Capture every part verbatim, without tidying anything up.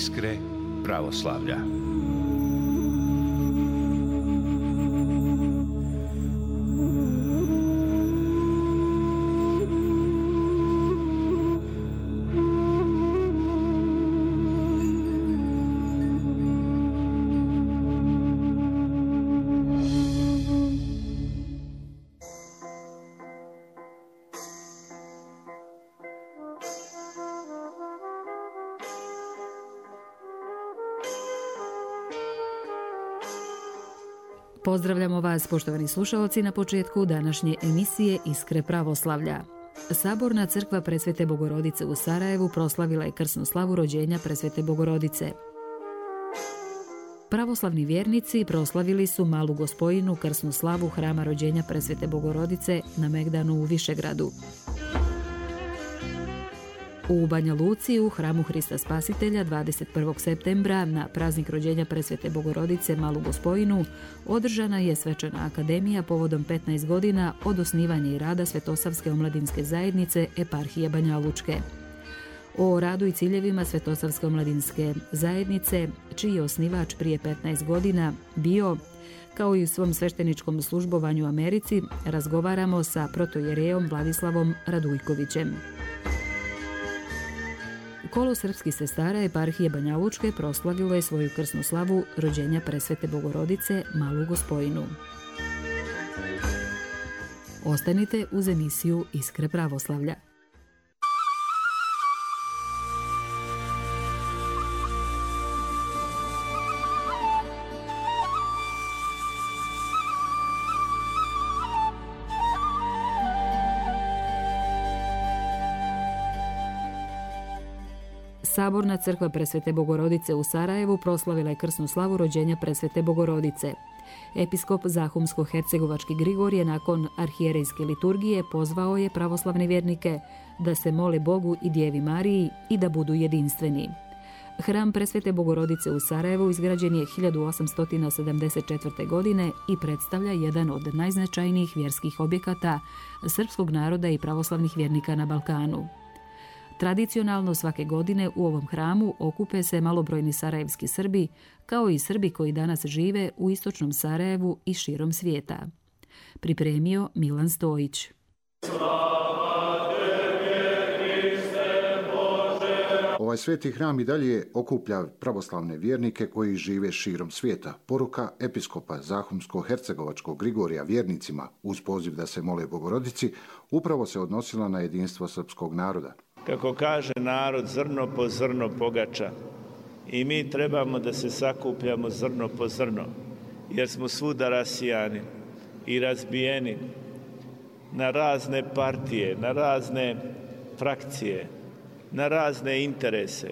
Iskre pravoslavlja. Pozdravljamo vas, poštovani slušalci, na početku današnje emisije Iskre pravoslavlja. Saborna crkva Presvete Bogorodice u Sarajevu proslavila je krsnu slavu rođenja Presvete Bogorodice. Pravoslavni vjernici proslavili su Malu Gospojinu krsnu slavu hrama rođenja Presvete Bogorodice na Megdanu u Višegradu. U Banja Luci u hramu Hrista Spasitelja dvadeset prvog septembra na praznik rođenja Presvete Bogorodice Malu Gospojinu održana je svečana akademija povodom petnaest godina od osnivanja i rada Svetosavske omladinske zajednice Eparhije Banja Lučke. O radu i ciljevima Svetosavske omladinske zajednice, čiji je osnivač prije petnaest godina bio, kao i u svom svešteničkom službovanju u Americi, razgovaramo sa protojerejom Vladislavom Radujkovićem. Kolo srpskih sestara Eparhije Banja Lučke proslavilo je svoju krsnu slavu rođenja Presvete Bogorodice Malu Gospojinu. Ostanite uz emisiju Iskre pravoslavlja. Saborna crkva Presvete Bogorodice u Sarajevu proslavila je krsnu slavu rođenja Presvete Bogorodice. Episkop Zahumsko-hercegovački Grigorije nakon arhijerejske liturgije pozvao je pravoslavne vjernike da se mole Bogu i Djevi Mariji i da budu jedinstveni. Hram Presvete Bogorodice u Sarajevu izgrađen je hiljadu osamsto sedamdeset četvrte. godine i predstavlja jedan od najznačajnijih vjerskih objekata srpskog naroda i pravoslavnih vjernika na Balkanu. Tradicionalno svake godine u ovom hramu okupe se malobrojni sarajevski Srbi, kao i Srbi koji danas žive u istočnom Sarajevu i širom svijeta. Pripremio Milan Stojić. Ovaj sveti hram i dalje okuplja pravoslavne vjernike koji žive širom svijeta. Poruka episkopa Zahumsko-hercegovačkog Grigorija vjernicima uz poziv da se mole Bogorodici upravo se odnosila na jedinstvo srpskog naroda. Kako kaže narod, zrno po zrno pogača. I mi trebamo da se sakupljamo zrno po zrno, jer smo svuda rasijani i razbijeni na razne partije, na razne frakcije, na razne interese.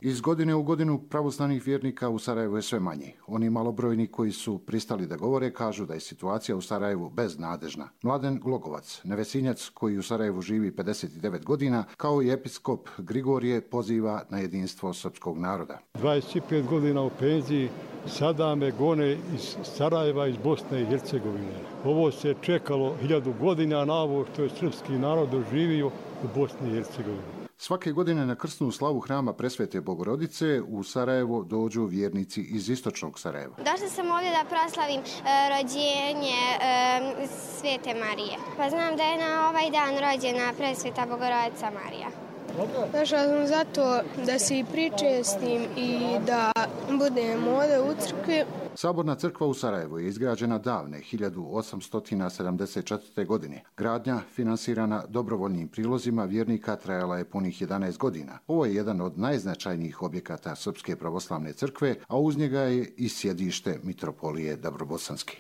Iz godine u godinu pravoslavnih vjernika u Sarajevu je sve manje. Oni malobrojni koji su pristali da govore kažu da je situacija u Sarajevu beznadežna. Mladen Glogovac, nevesinjac koji u Sarajevu živi pedeset devet godina, kao i episkop Grigorije poziva na jedinstvo srpskog naroda. dvadeset pet godina u penziji, sada me gone iz Sarajeva, iz Bosne i Hercegovine. Ovo se čekalo hiljadu godina na ovo što je srpski narod doživio u Bosni i Hercegovini. Svake godine na krsnu slavu hrama Presvete Bogorodice u Sarajevo dođu vjernici iz istočnog Sarajeva. Došla sam ovdje da proslavim e, rođenje e, Svete Marije. Pa znam da je na ovaj dan rođena Presveta Bogorodica Marija. Došla sam zato da se i pričestim i da budem ovdje u crkvi. Saborna crkva u Sarajevu je izgrađena davne hiljadu osamsto sedamdeset četvrte. godine. Gradnja, finansirana dobrovoljnim prilozima vjernika, trajala je punih jedanaest godina. Ovo je jedan od najznačajnijih objekata Srpske pravoslavne crkve, a uz njega je i sjedište mitropolije Dabrobosanske.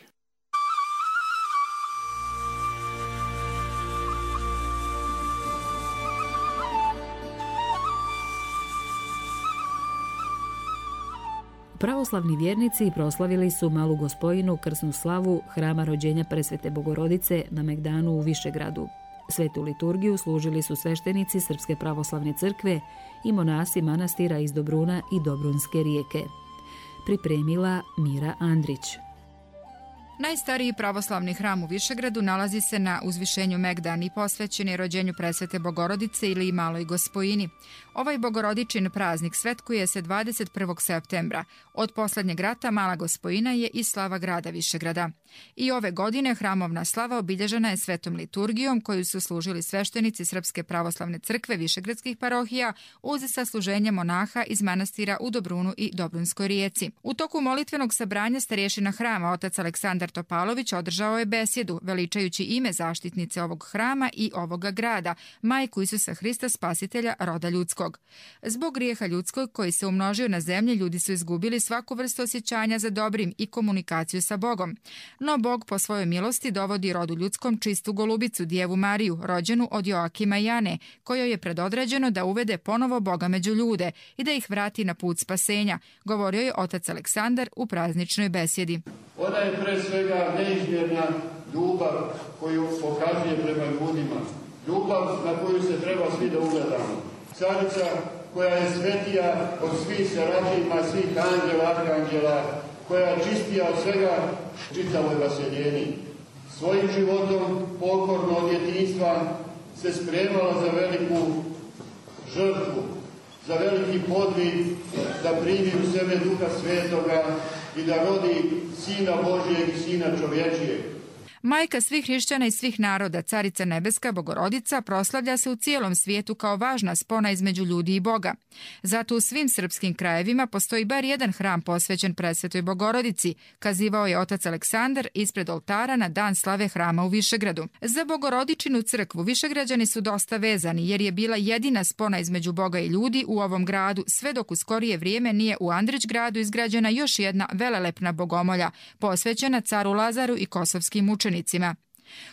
Pravoslavni vjernici proslavili su Malu Gospojinu krsnu slavu hrama rođenja Presvete Bogorodice na Megdanu u Višegradu. Svetu liturgiju služili su sveštenici Srpske pravoslavne crkve i monasi manastira iz Dobruna i Dobrunske rijeke. Pripremila Mira Andrić. Najstariji pravoslavni hram u Višegradu nalazi se na uzvišenju Megdan i posvećen je rođenju presvete Bogorodice ili Maloj Gospojini. Ovaj bogorodičin praznik svetkuje se dvadeset prvog septembra. Od poslednjeg rata Mala Gospojina je i slava grada Višegrada. I ove godine hramovna slava obilježena je svetom liturgijom koju su služili sveštenici Srpske pravoslavne crkve višegradskih parohija uz sasluženje monaha iz manastira u Dobrunu i Dobrunskoj Rijeci. U toku molitvenog sabranja starješina hrama otac Aleksandar Topalović održao je besjedu veličajući ime zaštitnice ovog hrama i ovoga grada, majku Isusa Hrista spasitelja roda ljudskog. Zbog grijeha ljudskog koji se umnožio na zemlji, ljudi su izgubili svaku vrstu osjećanja za dobrim i komunikaciju sa Bogom. No Bog po svojoj milosti dovodi rodu ljudskom čistu golubicu, Djevu Mariju, rođenu od Joakima i Ane, kojoj je predodređeno da uvede ponovo Boga među ljude i da ih vrati na put spasenja, govorio je otac Aleksandar u prazničnoj besjedi. Ona je pre svega neizmjerna ljubav koju pokazuje prema ljudima. Ljubav na koju se treba svi da ugledamo. Carica koja je svetija od svih serafima, svih anđela, arkanđela, koja je čistija od svega čitavoj vaseljeni. Svojim životom pokorno od djetinjstva se spremala za veliku žrtvu, za veliki podvig, da primi u sebe Duha Svetoga i da rodi Sina Božijeg i Sina čovječijeg. Majka svih hrišćana i svih naroda, Carica Nebeska Bogorodica, proslavlja se u cijelom svijetu kao važna spona između ljudi i Boga. Zato u svim srpskim krajevima postoji bar jedan hram posvećen presvetoj Bogorodici, kazivao je otac Aleksandar ispred oltara na dan slave hrama u Višegradu. Za Bogorodičinu crkvu Višegrađani su dosta vezani jer je bila jedina spona između Boga i ljudi u ovom gradu, sve dok u skorije vrijeme nije u Andrićgradu izgrađena još jedna velelepna bogomolja, posvećena caru Lazaru i kosovskim učenicima.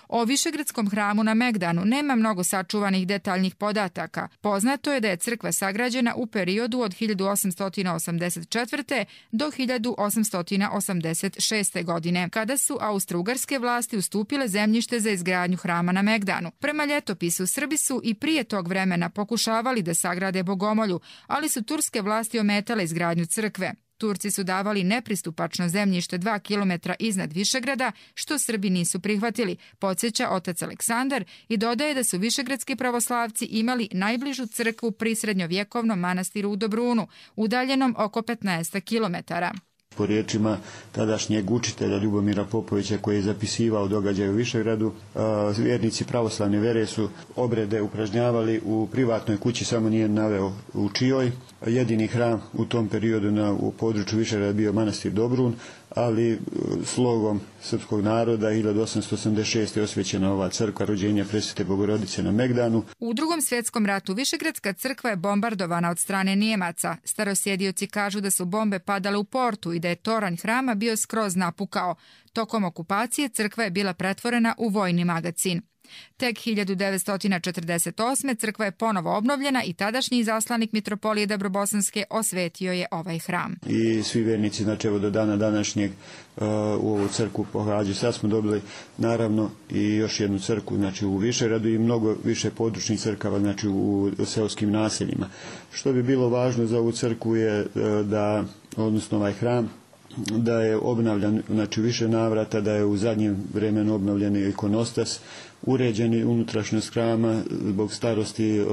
O Višegradskom hramu na Megdanu nema mnogo sačuvanih detaljnih podataka. Poznato je da je crkva sagrađena u periodu od hiljadu osamsto osamdeset četvrte. do hiljadu osamsto osamdeset šeste. godine, kada su austrougarske vlasti ustupile zemljište za izgradnju hrama na Megdanu. Prema ljetopisu, Srbi su i prije tog vremena pokušavali da sagrade bogomolju, ali su turske vlasti ometale izgradnju crkve. Turci su davali nepristupačno zemljište dva kilometra iznad Višegrada, što Srbi nisu prihvatili, podsjeća otac Aleksandar i dodaje da su višegradski pravoslavci imali najbližu crkvu pri srednjovjekovnom manastiru u Dobrunu, udaljenom oko petnaest kilometara. Po riječima tadašnjeg učitelja Ljubomira Popovića koji je zapisivao događaje u Višegradu, vjernici pravoslavne vere su obrede upražnjavali u privatnoj kući, samo nije naveo u čijoj. Jedini hram u tom periodu na, u području Višegrada bio manastir Dobrun, ali slogom srpskog naroda hiljadu osamsto osamdeset šeste. je osvećena ova crkva rođenja presvete Bogorodice na Megdanu. U Drugom svjetskom ratu Višegradska crkva je bombardovana od strane Nijemaca. Starosjedioci kažu da su bombe padale u portu i da je toranj hrama bio skroz napukao. Tokom okupacije crkva je bila pretvorena u vojni magacin. Tek hiljadu devetsto četrdeset osme. crkva je ponovo obnovljena i tadašnji izaslanik mitropolije Dabrobosanske osvetio je ovaj hram. I svi vjernici, znači evo do dana današnjeg uh, u ovu crkvu pohađaju. Sad smo dobili naravno i još jednu crkvu, znači u Višegradu i mnogo više područnih crkava, znači u seoskim naseljima. Što bi bilo važno za ovu crkvu je uh, da, odnosno ovaj hram, da je obnavljan, znači više navrata, da je u zadnjem vremenu obnovljen ikonostas, uređeni unutrašnjost hrama, zbog starosti e,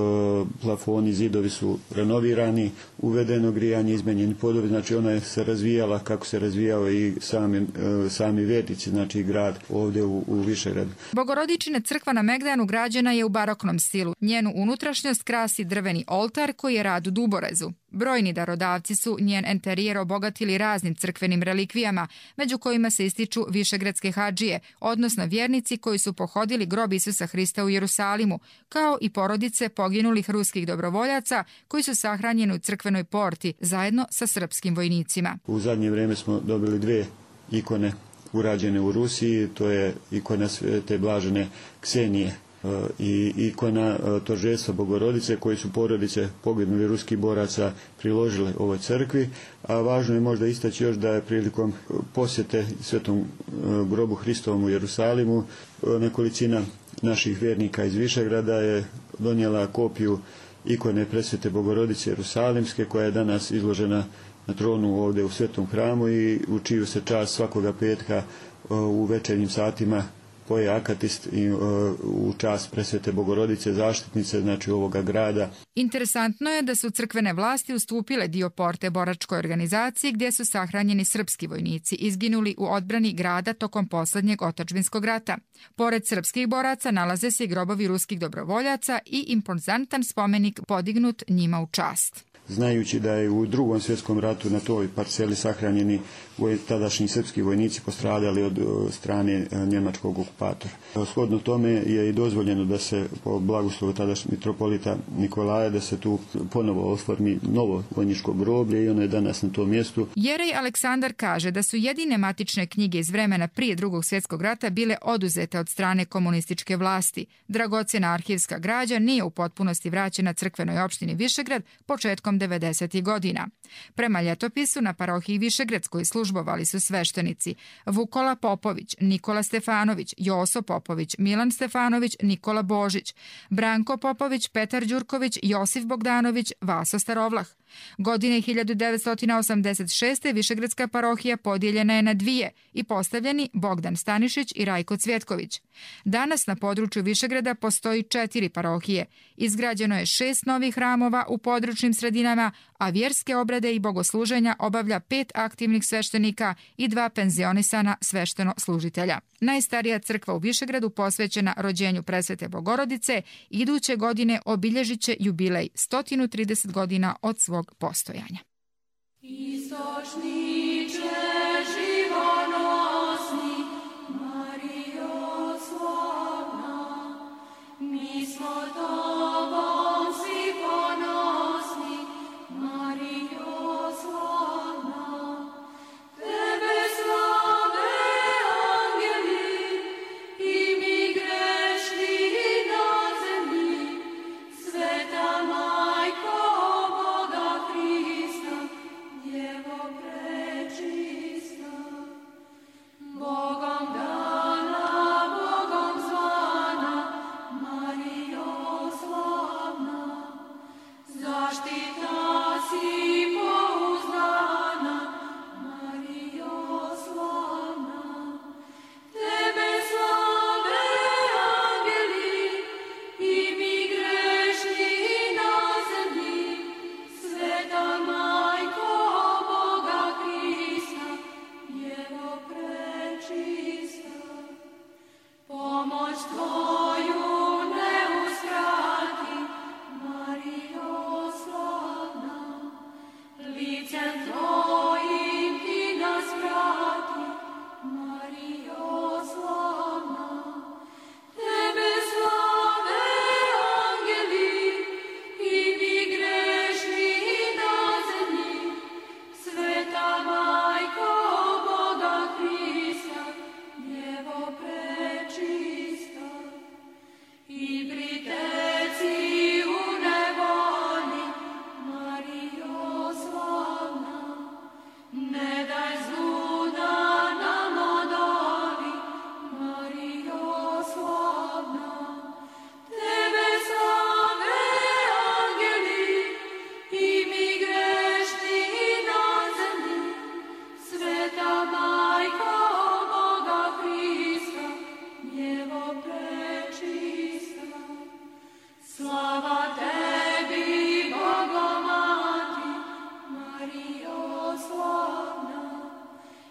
plafoni, zidovi su renovirani, uvedeno grijanje, izmenjeni podovi, znači ona je se razvijala kako se razvijao i sami, e, sami vjernici, znači grad ovdje u, u Višegradu. Bogorodičina crkva na Megdanu građena je u baroknom stilu. Njenu unutrašnjost krasi drveni oltar koji je rad u duborezu. Brojni darodavci su njen enterijer obogatili raznim crkvenim relikvijama, među kojima se ističu višegradske hadžije, odnosno vjernici koji su pohodili grob Isusa Hrista u Jerusalimu, kao i porodice poginulih ruskih dobrovoljaca koji su sahranjeni u crkvenoj porti zajedno sa srpskim vojnicima. U zadnje vrijeme smo dobili dvije ikone urađene u Rusiji, to je ikona Svete Blažene Ksenije i ikona Tožestva Bogorodice koji su porodice poginulih ruskih boraca priložile ovoj crkvi, a važno je možda istaći još da je prilikom posjete Svetom grobu Hristovom u Jerusalimu nekolicina naših vjernika iz Višegrada je donijela kopiju ikone presvete Bogorodice Jerusalimske koja je danas izložena na tronu ovdje u Svetom hramu i u čiju se čast svakoga petka u večernjim satima poje akatist i, uh, u čast Presvete Bogorodice, zaštitnice, znači ovoga grada. Interesantno je da su crkvene vlasti ustupile dio porte boračkoj organizaciji gdje su sahranjeni srpski vojnici izginuli u odbrani grada tokom poslednjeg otadžbinskog rata. Pored srpskih boraca nalaze se i grobovi ruskih dobrovoljaca i impozantan spomenik podignut njima u čast. Znajući da je u drugom svjetskom ratu na toj parceli sahranjeni tadašnji srpski vojnici postradali od strane njemačkog okupatora. Shodno tome je i dozvoljeno da se po blagoslovu tadašnjeg mitropolita Nikolaja da se tu ponovo oformi novo vojničko groblje i ono je danas na tom mjestu. Jerej Aleksandar kaže da su jedine matične knjige iz vremena prije drugog svjetskog rata bile oduzete od strane komunističke vlasti. Dragocjena arhivska građa nije u potpunosti vraćena crkvenoj opštini Višegrad početkom devedesetih godina. Prema ljetopisu na parohiji Višegradskoj službovali su sveštenici Vukola Popović, Nikola Stefanović, Joso Popović, Milan Stefanović, Nikola Božić, Branko Popović, Petar Đurković, Josif Bogdanović, Vaso Starovlah. Godine hiljadu devetsto osamdeset šeste. Višegradska parohija podijeljena je na dvije i postavljeni Bogdan Stanišić i Rajko Cvjetković. Danas na području Višegrada postoji četiri parohije. Izgrađeno je šest novih hramova u područnim sredinama, a vjerske obrade i bogosluženja obavlja pet aktivnih sveštenika i dva penzionisana svešteno služitelja. Najstarija crkva u Višegradu posvećena rođenju Presvete Bogorodice iduće godine obilježit će jubilej sto trideset godina od svog postojanja. Istočniče živonosni, Marijo slavna, mi smo tobom svi ponosni, Marijo slavna, tebe slave angeli i mi grešni na zemlji, sveta majko Boga Hrista, Djevo prečista, Bogom dana, Bogom zvana, Marijo slavna, zaštita si pouzdana, Marijo slavna, tebe slave angeli i mi grešni na zemlji, sveta majko Boga Hrista, Djevo prečista, pomoć tvoju ne uskrati, Marijo slavna, licem tvojim ti nas vrati, Marijo slavna, tebe slave angeli i mi grešni na zemlji, sveta majko Boga Hrista, Djevo prečista, i priteci u nevoli, Marijo slavna, ne daj zlu da nam odoli, Marijo slavna, tebe slave angeli i mi grešni na zemlji, sveta majko Boga Hrista, Djevo prečista, slava tebi Bogomati, Marijo slavna,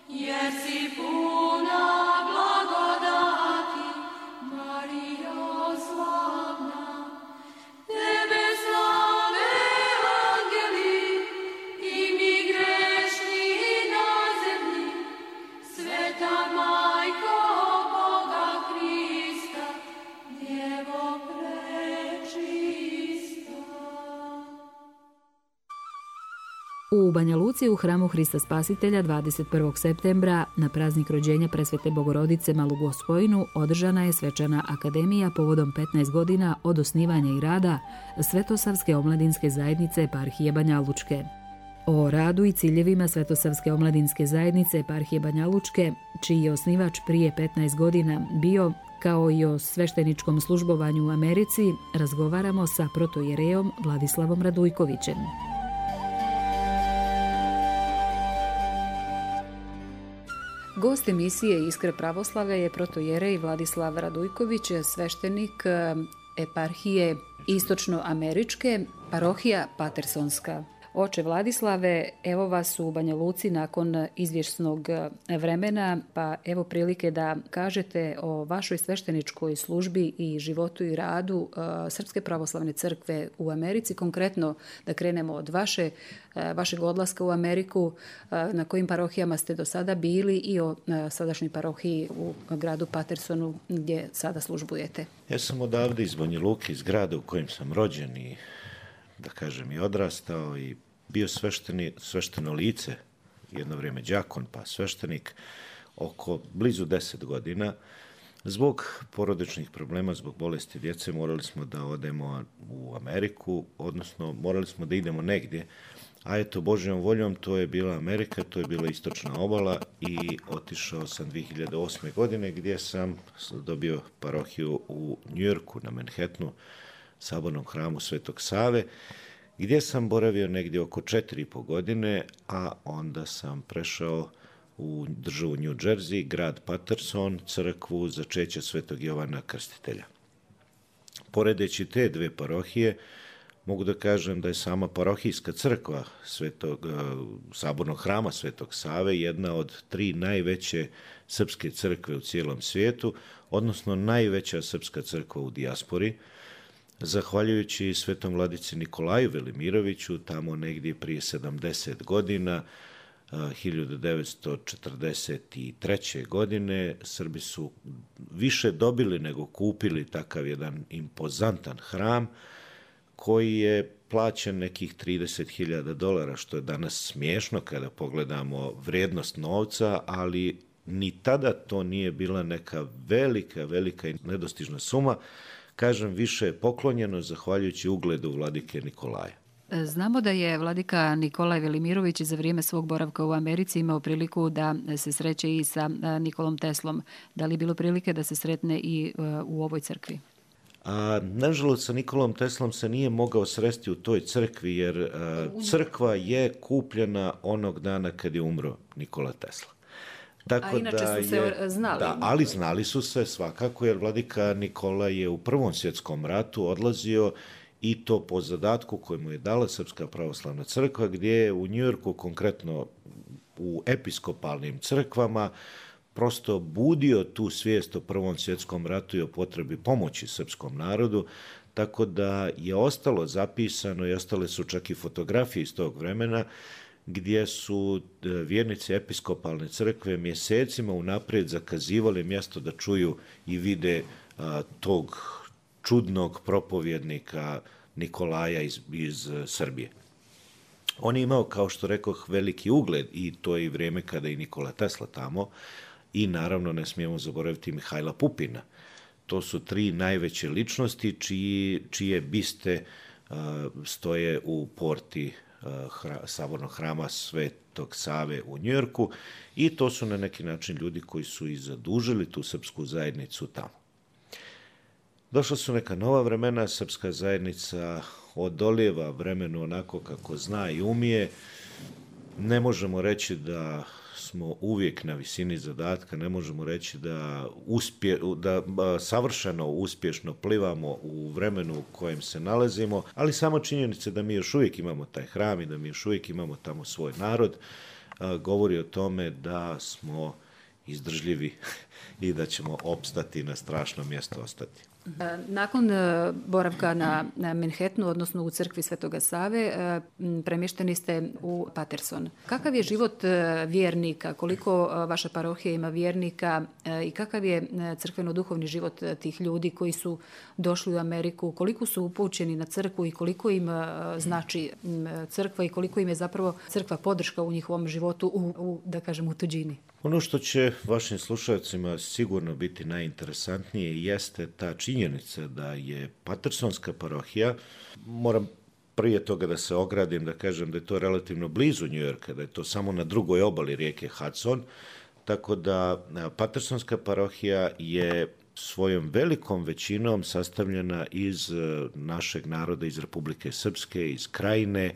jer si puna blagodati, Marijo slavna, tebe slave angeli i mi grešni na zemlji, sveta majko Boga Hrista, Djevo prečista. U Banja Luci u hramu Hrista Spasitelja dvadeset prvog septembra na praznik rođenja Presvete Bogorodice Malu Gospojinu održana je svečana akademija povodom petnaest godina od osnivanja i rada Svetosavske omladinske zajednice Eparhije Banja Lučke. O radu i ciljevima Svetosavske omladinske zajednice Eparhije Banja Lučke, čiji je osnivač prije petnaest godina bio, kao i o svešteničkom službovanju u Americi, razgovaramo sa protojerejom Vladislavom Radujkovićem. Gost emisije Iskre pravoslavlja je protojerej Vladislav Radujković, sveštenik eparhije istočnoameričke, parohija Patersonska. Oče Vladislave, evo vas u Banja Luci nakon izvjesnog vremena, pa evo prilike da kažete o vašoj svešteničkoj službi i životu i radu Srpske pravoslavne crkve u Americi. Konkretno da krenemo od vaše, vašeg odlaska u Ameriku, na kojim parohijama ste do sada bili i o sadašnjoj parohiji u gradu Patersonu gdje sada službujete. Ja sam odavde iz Banja Luke, iz grada u kojem sam rođen i da kažem i odrastao i bio svešteni, svešteno lice, jedno vrijeme đakon pa sveštenik, oko blizu deset godina. Zbog porodičnih problema, zbog bolesti djece morali smo da odemo u Ameriku, odnosno morali smo da idemo negdje, a eto Božjom voljom to je bila Amerika, to je bila istočna obala i otišao sam dvije hiljade osme. godine gdje sam dobio parohiju u Njujorku na Manhattanu, sabornom hramu Svetog Save, gdje sam boravio negdje oko četiri i po godine, a onda sam prešao u državu New Jersey, grad Paterson, crkvu začeća Svetog Jovana Krstitelja. Poredeći te dve parohije, mogu da kažem da je sama parohijska crkva Svetog, sabornog hrama Svetog Save jedna od tri najveće srpske crkve u cijelom svijetu, odnosno najveća srpska crkva u dijaspori. Zahvaljujući svetom vladici Nikolaju Velimiroviću, tamo negdje prije sedamdeset godina, hiljadu devetsto četrdeset treće. godine, Srbi su više dobili nego kupili takav jedan impozantan hram koji je plaćen nekih trideset hiljada dolara, što je danas smiješno kada pogledamo vrijednost novca, ali ni tada to nije bila neka velika, velika i nedostižna suma. Kažem, više je poklonjeno zahvaljujući ugledu vladike Nikolaja. Znamo da je vladika Nikolaj Velimirović za vrijeme svog boravka u Americi imao priliku da se sreće i sa Nikolom Teslom. Da li je bilo prilike da se sretne i u ovoj crkvi? A, nažalost, sa Nikolom Teslom se nije mogao sresti u toj crkvi, jer a, crkva je kupljena onog dana kad je umro Nikola Tesla. Tako a inače da su se je, znali. Da, ali znali su se svakako, jer vladika Nikola je u Prvom svjetskom ratu odlazio i to po zadatku koji mu je dala Srpska pravoslavna crkva, gdje je u Njujorku, konkretno u episkopalnim crkvama, prosto budio tu svijest o Prvom svjetskom ratu i o potrebi pomoći srpskom narodu, tako da je ostalo zapisano i ostale su čak i fotografije iz tog vremena, gdje su vjernici episkopalne crkve mjesecima unaprijed zakazivali mjesto da čuju i vide a, tog čudnog propovjednika Nikolaja iz, iz Srbije. On je imao, kao što rekoh, veliki ugled i to je i vrijeme kada je Nikola Tesla tamo i naravno ne smijemo zaboraviti Mihajla Pupina. To su tri najveće ličnosti čiji, čije biste a, stoje u porti Hra, sabornog hrama Svetog Save u Njujorku i to su na neki način ljudi koji su i zadužili tu srpsku zajednicu tamo. Došla su neka nova vremena, srpska zajednica odolijeva vremenu onako kako zna i umije. Ne možemo reći da smo uvijek na visini zadatka, ne možemo reći da, uspje, da savršeno uspješno plivamo u vremenu u kojem se nalazimo, ali samo činjenica da mi još uvijek imamo taj hram i da mi još uvijek imamo tamo svoj narod, govori o tome da smo izdržljivi i da ćemo opstati na strašno mjesto ostati. Nakon boravka na Manhattanu, odnosno u crkvi Svetoga Save, premješteni ste u Paterson. Kakav je život vjernika? Koliko vaša parohija ima vjernika i kakav je crkveno-duhovni život tih ljudi koji su došli u Ameriku? Koliko su upućeni na crkvu i koliko im znači crkva i koliko im je zapravo crkva podrška u njihovom životu u, u da kažem, u tuđini? Ono što će vašim slušalcima sigurno biti najinteresantnije jeste ta činjenica da je Patersonska parohija, moram prije toga da se ogradim, da kažem da je to relativno blizu Njujorka, da je to samo na drugoj obali rijeke Hudson, tako da Patersonska parohija je svojom velikom većinom sastavljena iz našeg naroda, iz Republike Srpske, iz Krajine,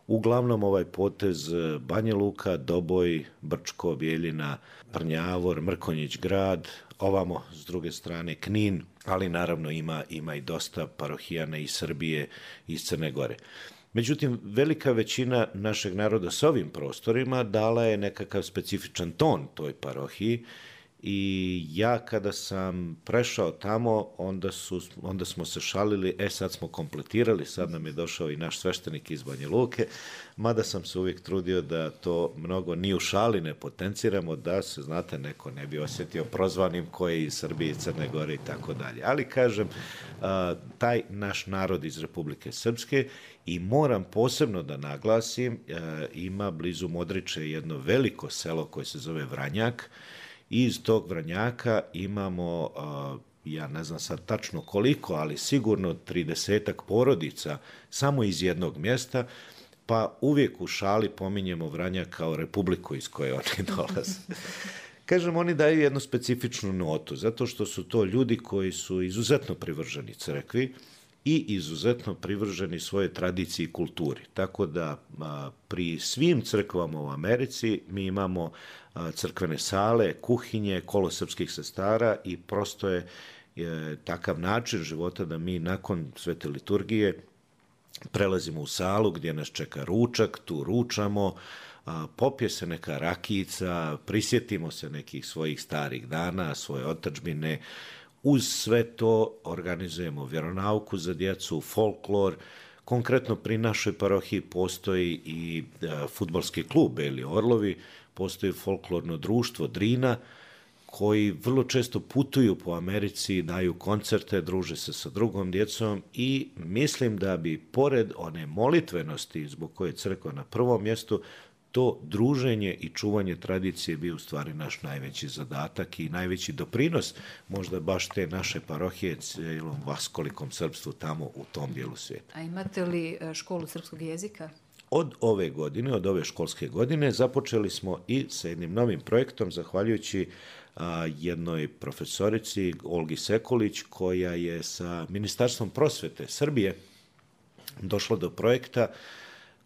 Uglavnom ovaj potez Banja Luka, Doboj, Brčko, Bjeljina, Prnjavor, Mrkonjić grad, ovamo s druge strane Knin, ali naravno ima, ima i dosta parohijana iz Srbije i iz Crne Gore. Međutim, velika većina našeg naroda s ovim prostorima dala je nekakav specifičan ton toj parohiji i ja kada sam prešao tamo, onda, su, onda smo se šalili, e sad smo kompletirali, sad nam je došao i naš sveštenik iz Banja Luke, mada sam se uvijek trudio da to mnogo ni u šali ne potenciramo, da se, znate, neko ne bi osjetio prozvanim ko je iz Srbije, Crne Gore i tako dalje. Ali kažem, taj naš narod iz Republike Srpske, i moram posebno da naglasim, ima blizu Modriče jedno veliko selo koje se zove Vranjak. Iz tog Vranjaka imamo, ja ne znam sad tačno koliko, ali sigurno tridesetak porodica samo iz jednog mjesta, pa uvijek u šali pominjemo Vranjak kao republiku iz koje oni dolaze. Kažem, oni daju jednu specifičnu notu, zato što su to ljudi koji su izuzetno privrženi crkvi i izuzetno privrženi svojoj tradiciji i kulturi. Tako da a, pri svim crkvama u Americi mi imamo a, crkvene sale, kuhinje, kolo srpskih sestara i prosto je, je takav način života da mi nakon svete liturgije prelazimo u salu gdje nas čeka ručak, tu ručamo, a, popije se neka rakijica, prisjetimo se nekih svojih starih dana, svoje otadžbine. Uz sve to organizujemo vjeronauku za djecu, folklor. Konkretno pri našoj parohiji postoji i e, fudbalski klub Beli Orlovi, postoji folklorno društvo Drina, koji vrlo često putuju po Americi, daju koncerte, druže se sa drugom djecom i mislim da bi pored one molitvenosti zbog koje je crkva na prvom mjestu, to druženje i čuvanje tradicije bio u stvari naš najveći zadatak i najveći doprinos možda baš te naše parohije cijelom vaskolikom srpstvu tamo u tom dijelu svijeta. A imate li školu srpskog jezika? Od ove godine, od ove školske godine, započeli smo i sa jednim novim projektom, zahvaljujući a, jednoj profesorici, Olgi Sekulić, koja je sa Ministarstvom prosvete Srbije došla do projekta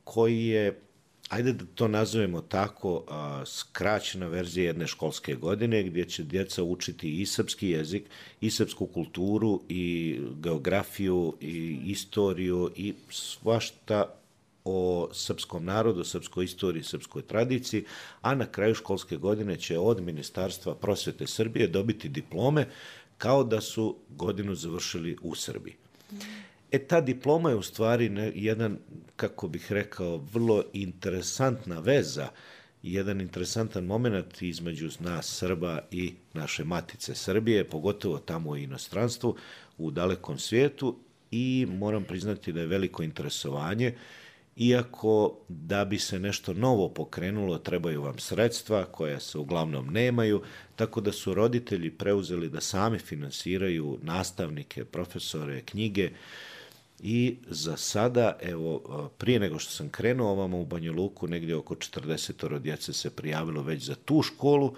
koji je, ajde da to nazovemo tako, a, skraćena verzija jedne školske godine gdje će djeca učiti i srpski jezik, i srpsku kulturu, i geografiju, i istoriju, i svašta o srpskom narodu, srpskoj istoriji, srpskoj tradiciji, a na kraju školske godine će od Ministarstva prosvete Srbije dobiti diplome kao da su godinu završili u Srbiji. E, ta diploma je u stvari ne, jedan, kako bih rekao, vrlo interesantna veza, jedan interesantan moment između nas Srba i naše matice Srbije, pogotovo tamo u inostranstvu, u dalekom svijetu, i moram priznati da je veliko interesovanje, iako da bi se nešto novo pokrenulo trebaju vam sredstva koja se uglavnom nemaju, tako da su roditelji preuzeli da sami finansiraju nastavnike, profesore, knjige. I za sada, evo, prije nego što sam krenuo ovamo u Banja Luku, negdje oko četrdeset djece se prijavilo već za tu školu,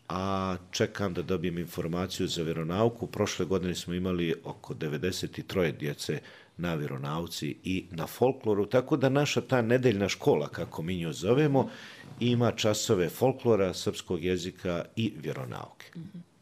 a čekam da dobijem informaciju za vjeronauku. Prošle godine smo imali oko devedeset tri djece na vjeronauci i na folkloru, tako da naša ta nedeljna škola, kako mi nju zovemo, ima časove folklora, srpskog jezika i vjeronauke.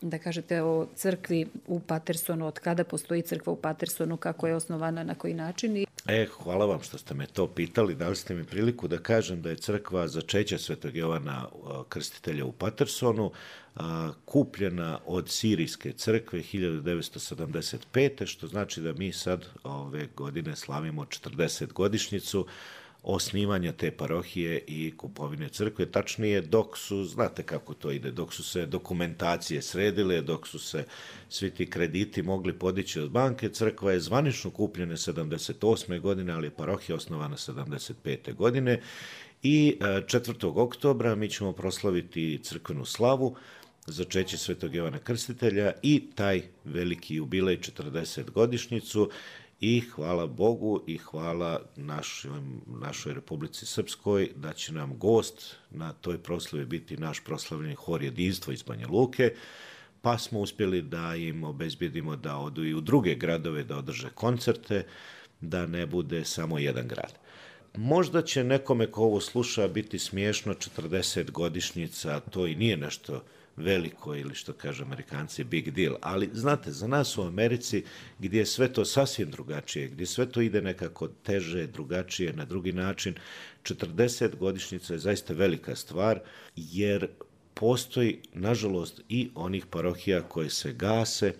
Da kažete o crkvi u Patersonu, od kada postoji crkva u Patersonu, kako je osnovana, na koji način? E, hvala vam što ste me to pitali, dali ste mi priliku da kažem da je crkva začeća Svetog Jovana Krstitelja u Patersonu a, kupljena od Sirijske crkve hiljadu devetsto sedamdeset pete. što znači da mi sad ove godine slavimo četrdeset godišnjicu osnivanja te parohije i kupovine crkve. Tačnije, dok su, znate kako to ide, dok su se dokumentacije sredile, dok su se svi ti krediti mogli podići od banke, crkva je zvanično kupljena sedamdeset osme godine, ali je parohija osnovana sedamdeset pete godine i četvrtog oktobra mi ćemo proslaviti crkvenu slavu, začeće Svetog Jovana Krstitelja i taj veliki jubilej četrdeset godišnjicu. I hvala Bogu i hvala našoj, našoj Republici Srpskoj da će nam gost na toj proslavi biti naš proslavljeni hor Jedinstvo iz Banja Luke, pa smo uspjeli da im obezbjedimo da odu i u druge gradove da održe koncerte, da ne bude samo jedan grad. možda će nekome ko ovo sluša biti smiješno četrdeset godišnjica, to i nije nešto veliko ili što kaže Amerikanci big deal, ali znate, za nas u Americi gdje je sve to sasvim drugačije, gdje sve to ide nekako teže, drugačije, na drugi način, četrdeset godišnjica je zaista velika stvar, jer postoji, nažalost, i onih parohija koje se gase.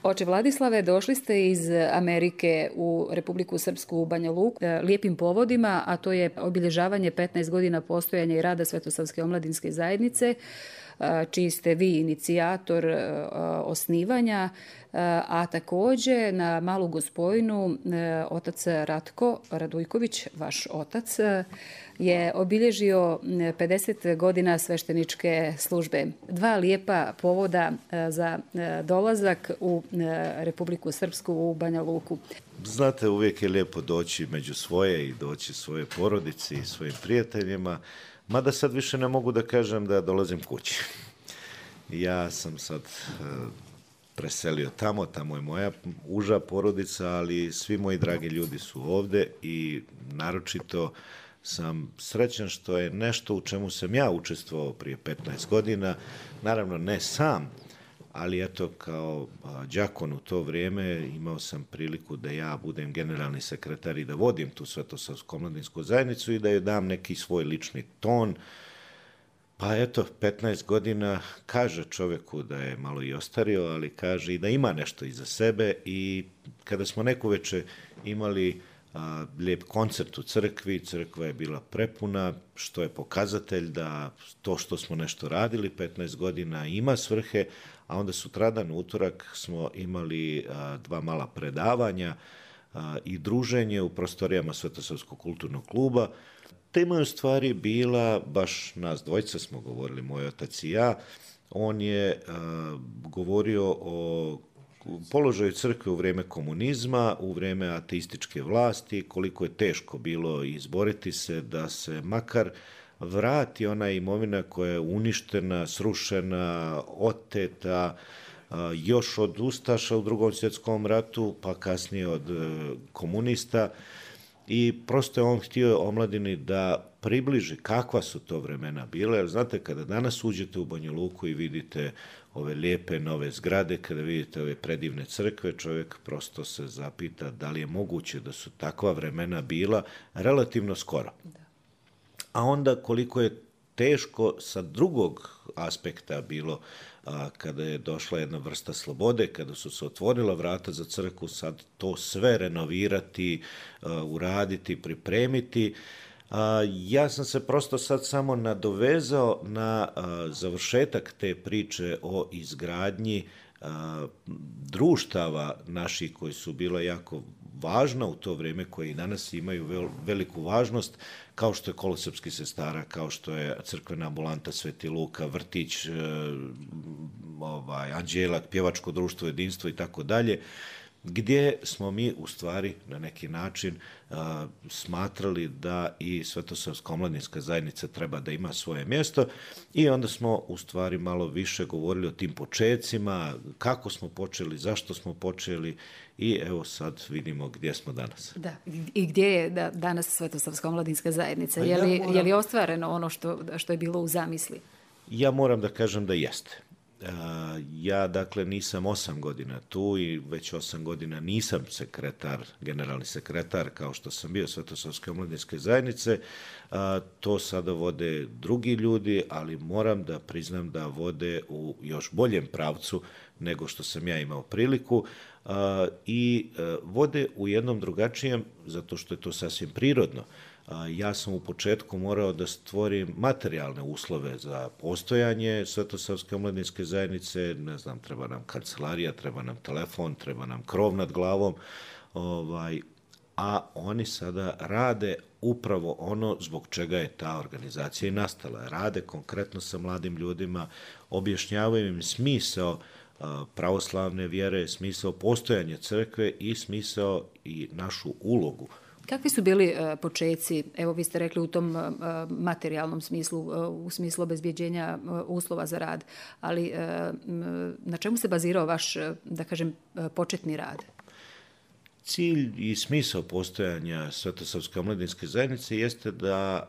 Oče Vladislave, došli ste iz Amerike u Republiku Srpsku u Banja Luku lijepim povodima, a to je obilježavanje petnaest godina postojanja i rada Svetosavske omladinske zajednice, čiji ste vi inicijator osnivanja, a također na Malu Gospojinu otac Ratko Radujković, vaš otac, je obilježio pedeset godina svešteničke službe. Dva lijepa povoda za dolazak u Republiku Srpsku u Banja Luku. Znate, uvijek je lijepo doći među svoje i doći svoje porodici i svojim prijateljima, mada sad više ne mogu da kažem da dolazim kući. Ja sam sad preselio tamo, tamo je moja uža porodica, ali svi moji dragi ljudi su ovdje i naročito sam srećan što je nešto u čemu sam ja učestvovao prije petnaest godina, naravno ne sam, ali eto kao đakon u to vrijeme imao sam priliku da ja budem generalni sekretar i da vodim tu Svetosavsku omladinsku zajednicu i da joj dam neki svoj lični ton. Pa eto, petnaest godina kaže čovjeku da je malo i ostario, ali kaže i da ima nešto iza sebe i kada smo neku večer imali a, lijep koncert u crkvi, crkva je bila prepuna, što je pokazatelj da to što smo nešto radili petnaest godina ima svrhe, a onda sutradan, utorak, smo imali a, dva mala predavanja a, i druženje u prostorijama Svetosavskog kulturnog kluba. Tema je u stvari bila, baš nas dvojica smo govorili, moj otac i ja, on je a, govorio o položaju crkve u vrijeme komunizma, u vrijeme ateističke vlasti, koliko je teško bilo izboriti se da se makar vrati ona imovina koja je uništena, srušena, oteta, još od ustaša u Drugom svjetskom ratu, pa kasnije od komunista. I prosto je on htio omladini da približi kakva su to vremena bile, jer znate, kada danas uđete u Banja Luku i vidite ove lijepe nove zgrade, kada vidite ove predivne crkve, čovjek prosto se zapita da li je moguće da su takva vremena bila relativno skoro. A onda koliko je teško sa drugog aspekta bilo a, kada je došla jedna vrsta slobode, kada su se otvorila vrata za crkvu, sad to sve renovirati, a, uraditi, pripremiti. A, ja sam se prosto sad samo nadovezao na a, završetak te priče o izgradnji a, društava naših koji su bila jako važna u to vrijeme, koje i danas imaju vel, veliku važnost, kao što je Kolo srpskih sestara, kao što je crkvena ambulanta Sveti Luka, vrtić, e, ovaj, Anđelak, pjevačko društvo, jedinstvo i tako dalje, gdje smo mi u stvari na neki način a, smatrali da i Svetosavska omladinska zajednica treba da ima svoje mjesto i onda smo u stvari malo više govorili o tim počecima, kako smo počeli, zašto smo počeli i evo sad vidimo gdje smo danas. Da, i gdje je da, danas Svetosavska omladinska zajednica? Pa je, li, ja moram... je li ostvareno ono što, što je bilo u zamisli? Ja moram da kažem da jeste. Ja, dakle, nisam osam godina tu i već osam godina nisam sekretar, generalni sekretar, kao što sam bio Svetosavske omladinske zajednice. To sada vode drugi ljudi, ali moram da priznam da vode u još boljem pravcu nego što sam ja imao priliku i vode u jednom drugačijem, zato što je to sasvim prirodno. Ja sam u početku morao da stvorim materijalne uslove za postojanje Svetosavske omladinske zajednice, ne znam, treba nam kancelarija, treba nam telefon, treba nam krov nad glavom, ovaj, a oni sada rade upravo ono zbog čega je ta organizacija i nastala. Rade konkretno sa mladim ljudima, objašnjavaju im smisao pravoslavne vjere, smisao postojanja crkve i smisao i našu ulogu. Kakvi su bili uh, počeci, evo vi ste rekli u tom uh, materijalnom smislu, uh, u smislu obezbjeđenja uh, uslova za rad, ali uh, na čemu se bazirao vaš, uh, da kažem, uh, početni rad? Cilj i smisao postojanja Svetosavske omladinske zajednice jeste da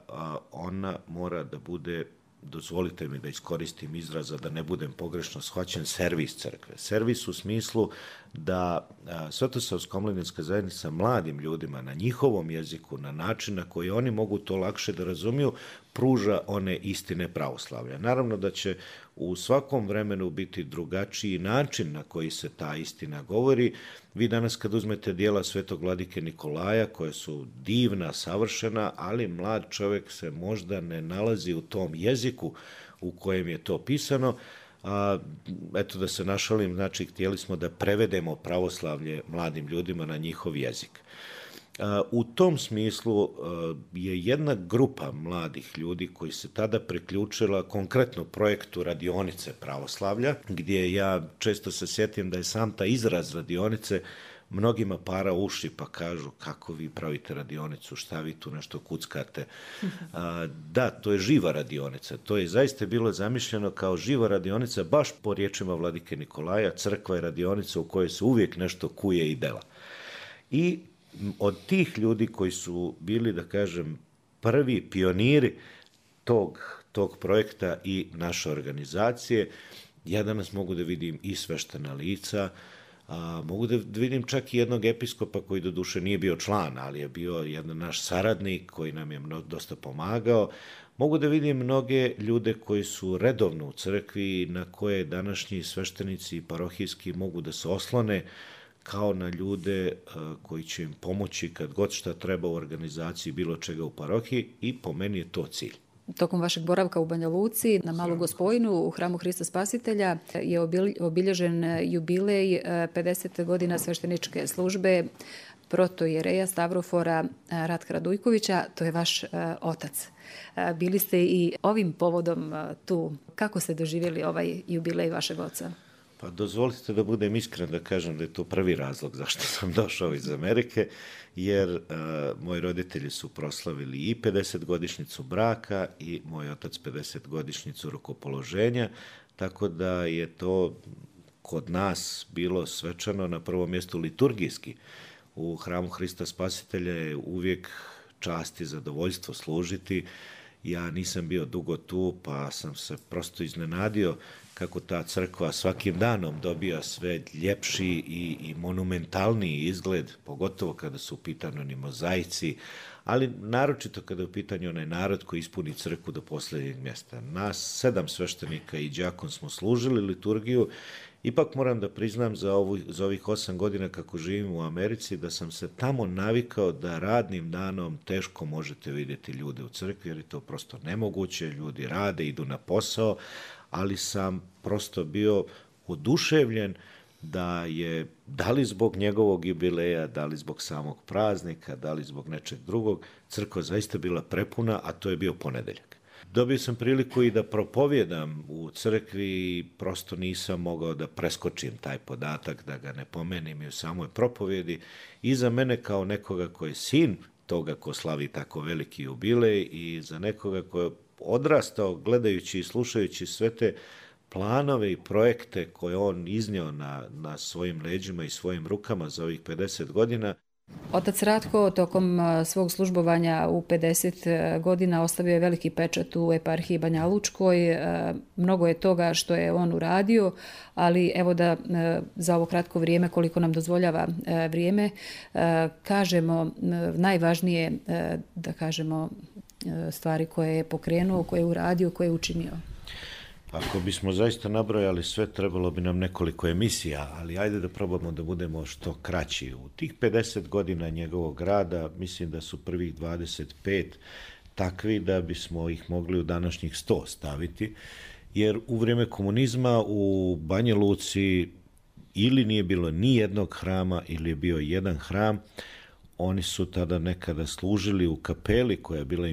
ona mora da bude, dozvolite mi da iskoristim izraza, da ne budem pogrešno shvaćen, servis crkve. Servis u smislu da Svetosavska omladinska zajednica mladim ljudima na njihovom jeziku, na način na koji oni mogu to lakše da razumiju, pruža one istine pravoslavlja. Naravno da će u svakom vremenu biti drugačiji način na koji se ta istina govori. Vi danas kad uzmete dijela Svetog vladike Nikolaja, koje su divna, savršena, ali mlad čovjek se možda ne nalazi u tom jeziku u kojem je to pisano. A, eto da se našalim, znači htjeli smo da prevedemo pravoslavlje mladim ljudima na njihov jezik. U tom smislu je jedna grupa mladih ljudi koji se tada priključila konkretno projektu radionice pravoslavlja, gdje ja često se sjetim da je sam taj izraz radionice mnogima para uši pa kažu kako vi pravite radionicu, šta vi tu nešto kuckate. A, da, to je živa radionica. To je zaista bilo zamišljeno kao živa radionica baš po riječima vladike Nikolaja. Crkva je radionica u kojoj se uvijek nešto kuje i dela. I od tih ljudi koji su bili, da kažem, prvi pioniri tog, tog projekta i naše organizacije, ja danas mogu da vidim i sveštena lica, a, mogu da vidim čak i jednog episkopa koji do duše nije bio član, ali je bio jedan naš saradnik koji nam je mno, dosta pomagao. Mogu da vidim mnoge ljude koji su redovno u crkvi, na koje današnji sveštenici i parohijski mogu da se oslone kao na ljude koji će im pomoći kad god šta treba u organizaciji bilo čega u parohiji, i po meni je to cilj. Tokom vašeg boravka u Banja Luci na Malu Gospojinu u hramu Hrista Spasitelja je obilježen jubilej pedeset godina svešteničke službe protoijereja Stavrofora Ratka Radujkovića, to je vaš otac. Bili ste i ovim povodom tu. Kako ste doživjeli ovaj jubilej vašeg oca? Pa dozvolite da budem iskren da kažem da je to prvi razlog zašto sam došao iz Amerike, jer uh, moji roditelji su proslavili i pedesetogodišnjicu braka i moj otac pedesetogodišnjicu rukopoloženja, tako da je to kod nas bilo svečano, na prvom mjestu liturgijski. U hramu Hrista Spasitelja je uvijek čast i zadovoljstvo služiti. Ja nisam bio dugo tu, pa sam se prosto iznenadio kako ta crkva svakim danom dobija sve ljepši i, i monumentalniji izgled, pogotovo kada su u pitanju ni mozaici, ali naročito kada je u pitanju onaj narod koji ispuni crkvu do posljednjeg mjesta. Nas sedam sveštenika i đakon smo služili liturgiju. Ipak moram da priznam za, ovu, za ovih osam godina kako živim u Americi da sam se tamo navikao da radnim danom teško možete vidjeti ljude u crkvi, jer je to prosto nemoguće, ljudi rade, idu na posao, ali sam prosto bio oduševljen da je, da li zbog njegovog jubileja, da li zbog samog praznika, da li zbog nečeg drugog, crkva zaista bila prepuna, a to je bio ponedeljak. Dobio sam priliku i da propovjedam u crkvi i prosto nisam mogao da preskočim taj podatak, da ga ne pomenim i u samoj propovjedi. I za mene kao nekoga ko je sin toga ko slavi tako veliki jubilej i za nekoga ko je odrastao gledajući i slušajući sve te planove i projekte koje on iznio na, na svojim leđima i svojim rukama za ovih pedeset godina. Otac Ratko tokom svog službovanja u pedeset godina ostavio je veliki pečat u eparhiji Banja Lučkoj. Mnogo je toga što je on uradio, ali evo da za ovo kratko vrijeme, koliko nam dozvoljava vrijeme, kažemo najvažnije, da kažemo, stvari koje je pokrenuo, koje je uradio, koje je učinio. Ako bismo zaista nabrojali sve, trebalo bi nam nekoliko emisija, ali ajde da probamo da budemo što kraći. U tih pedeset godina njegovog rada, mislim da su prvih dvadeset pet takvi da bismo ih mogli u današnjih sto staviti, jer u vrijeme komunizma u Banja Luci ili nije bilo ni jednog hrama ili je bio jedan hram. Oni su tada nekada služili u kapeli koja je bila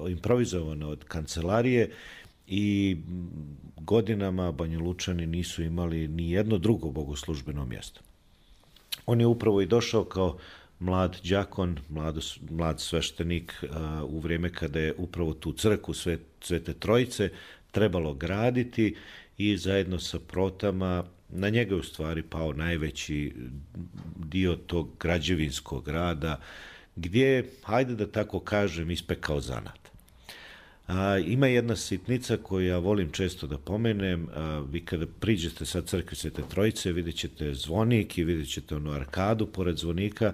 improvizovana od kancelarije i godinama Banjalučani nisu imali ni jedno drugo bogoslužbeno mjesto. On je upravo i došao kao mlad đakon, mlad, mlad sveštenik uh, u vrijeme kada je upravo tu crkvu Sve, Svete Trojice trebalo graditi i zajedno sa protama na njega je u stvari pao najveći dio tog građevinskog rada, gdje je, hajde da tako kažem, ispekao zanat. A, ima jedna sitnica koju ja volim često da pomenem. A, vi kada priđete sa crkve Svete Trojice, vidjet ćete zvonik i vidjet ćete onu arkadu pored zvonika.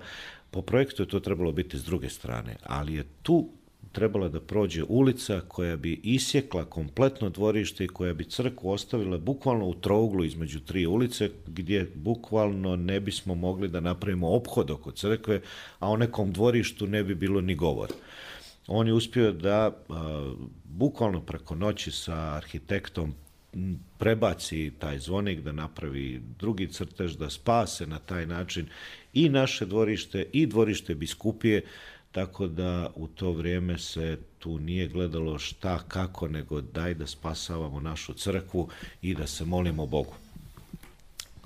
Po projektu je to trebalo biti s druge strane, ali je tu trebala da prođe ulica koja bi isjekla kompletno dvorište i koja bi crkvu ostavila bukvalno u trouglu između tri ulice, gdje bukvalno ne bismo mogli da napravimo ophod oko crkve, a o nekom dvorištu ne bi bilo ni govora. On je uspio da a, bukvalno preko noći sa arhitektom prebaci taj zvonik, da napravi drugi crtež, da spase na taj način i naše dvorište i dvorište biskupije, tako da u to vrijeme se tu nije gledalo šta, kako, nego daj da spasavamo našu crkvu i da se molimo Bogu.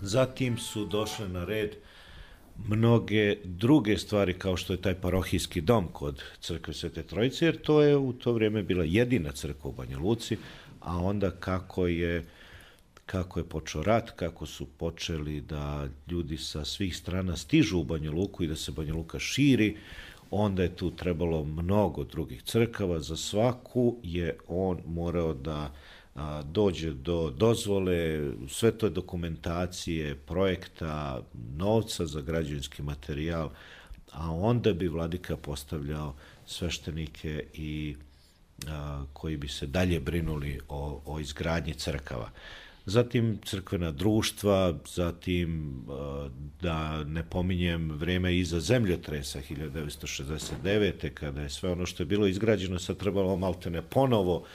Zatim su došle na red mnoge druge stvari, kao što je taj parohijski dom kod crkve Svete Trojice, jer to je u to vrijeme bila jedina crkva u Banja Luci, a onda kako je kako je počeo rat, kako su počeli da ljudi sa svih strana stižu u Banja Luku i da se Banja Luka širi, onda je tu trebalo mnogo drugih crkava. Za svaku je on morao da a, dođe do dozvole, sve to dokumentacije, projekta, novca za građevinski materijal, a onda bi vladika postavljao sveštenike i a, koji bi se dalje brinuli o, o izgradnji crkava. Zatim crkvena društva, zatim da ne pominjem vreme iza zemljotresa hiljadu devetsto šezdeset devete. kada je sve ono što je bilo izgrađeno sad trebalo maltene ponovo,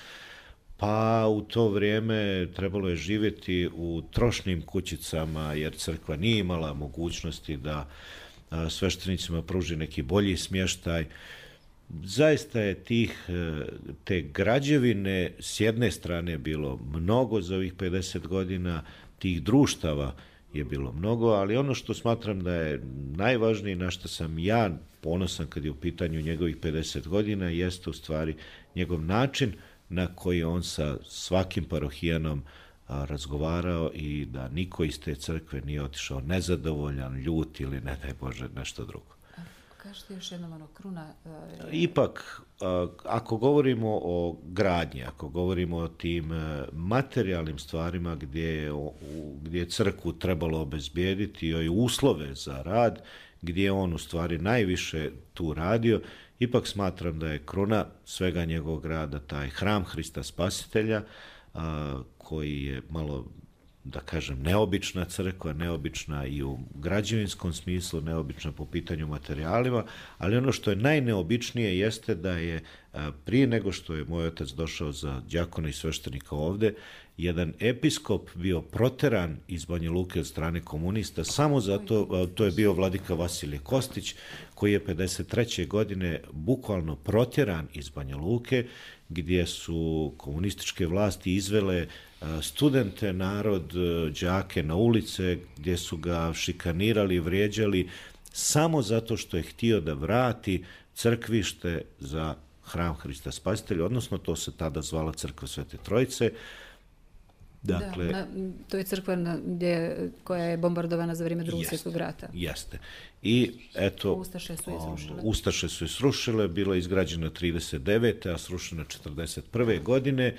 pa u to vrijeme trebalo je živjeti u trošnim kućicama jer crkva nije imala mogućnosti da sveštenicima pruži neki bolji smještaj. Zaista je tih, te građevine s jedne strane bilo mnogo za ovih pedeset godina, tih društava je bilo mnogo, ali ono što smatram da je najvažnije, na što sam ja ponosan kad je u pitanju njegovih pedeset godina, jeste u stvari njegov način na koji on sa svakim parohijanom a, razgovarao i da niko iz te crkve nije otišao nezadovoljan, ljut ili ne daj Bože nešto drugo. Kažete još jednom ono kruna... Uh, Ipak, uh, ako govorimo o gradnji, ako govorimo o tim uh, materijalnim stvarima gdje je, o, gdje je crkvu trebalo obezbijediti i uslove za rad, gdje je on u stvari najviše tu radio, ipak smatram da je kruna svega njegovog rada taj hram Hrista Spasitelja, uh, koji je malo, da kažem, neobična crkva, neobična i u građevinskom smislu, neobična po pitanju materijalima, ali ono što je najneobičnije jeste da je prije nego što je moj otac došao za đakona i sveštenika ovde, jedan episkop bio proteran iz Banja Luke od strane komunista, samo zato, to je bio vladika Vasilije Kostić, koji je pedeset treće godine bukvalno protjeran iz Banja Luke, gdje su komunističke vlasti izvele studente, narod, đake na ulice, gdje su ga šikanirali, vrijeđali, samo zato što je htio da vrati crkvište za hram Hrista Spasitelja, odnosno to se tada zvala crkva Svete Trojice. Dakle, da, na, to je crkva na, gdje, koja je bombardovana za vrijeme drugog svjetskog rata. Jeste. I eto, Ustaše su je srušile. Ustaše su je srušile, bila je izgrađena trideset devete. a srušena četrdeset prve. godine.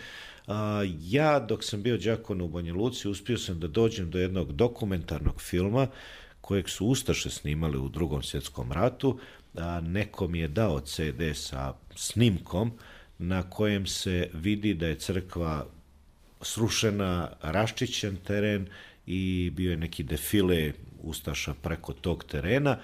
A, ja, dok sam bio đakon u Banja Luci, uspio sam da dođem do jednog dokumentarnog filma kojeg su Ustaše snimali u drugom svjetskom ratu. A, neko mi je dao ce de sa snimkom na kojem se vidi da je crkva srušena, raščišćen teren i bio je neki defile Ustaša preko tog terena,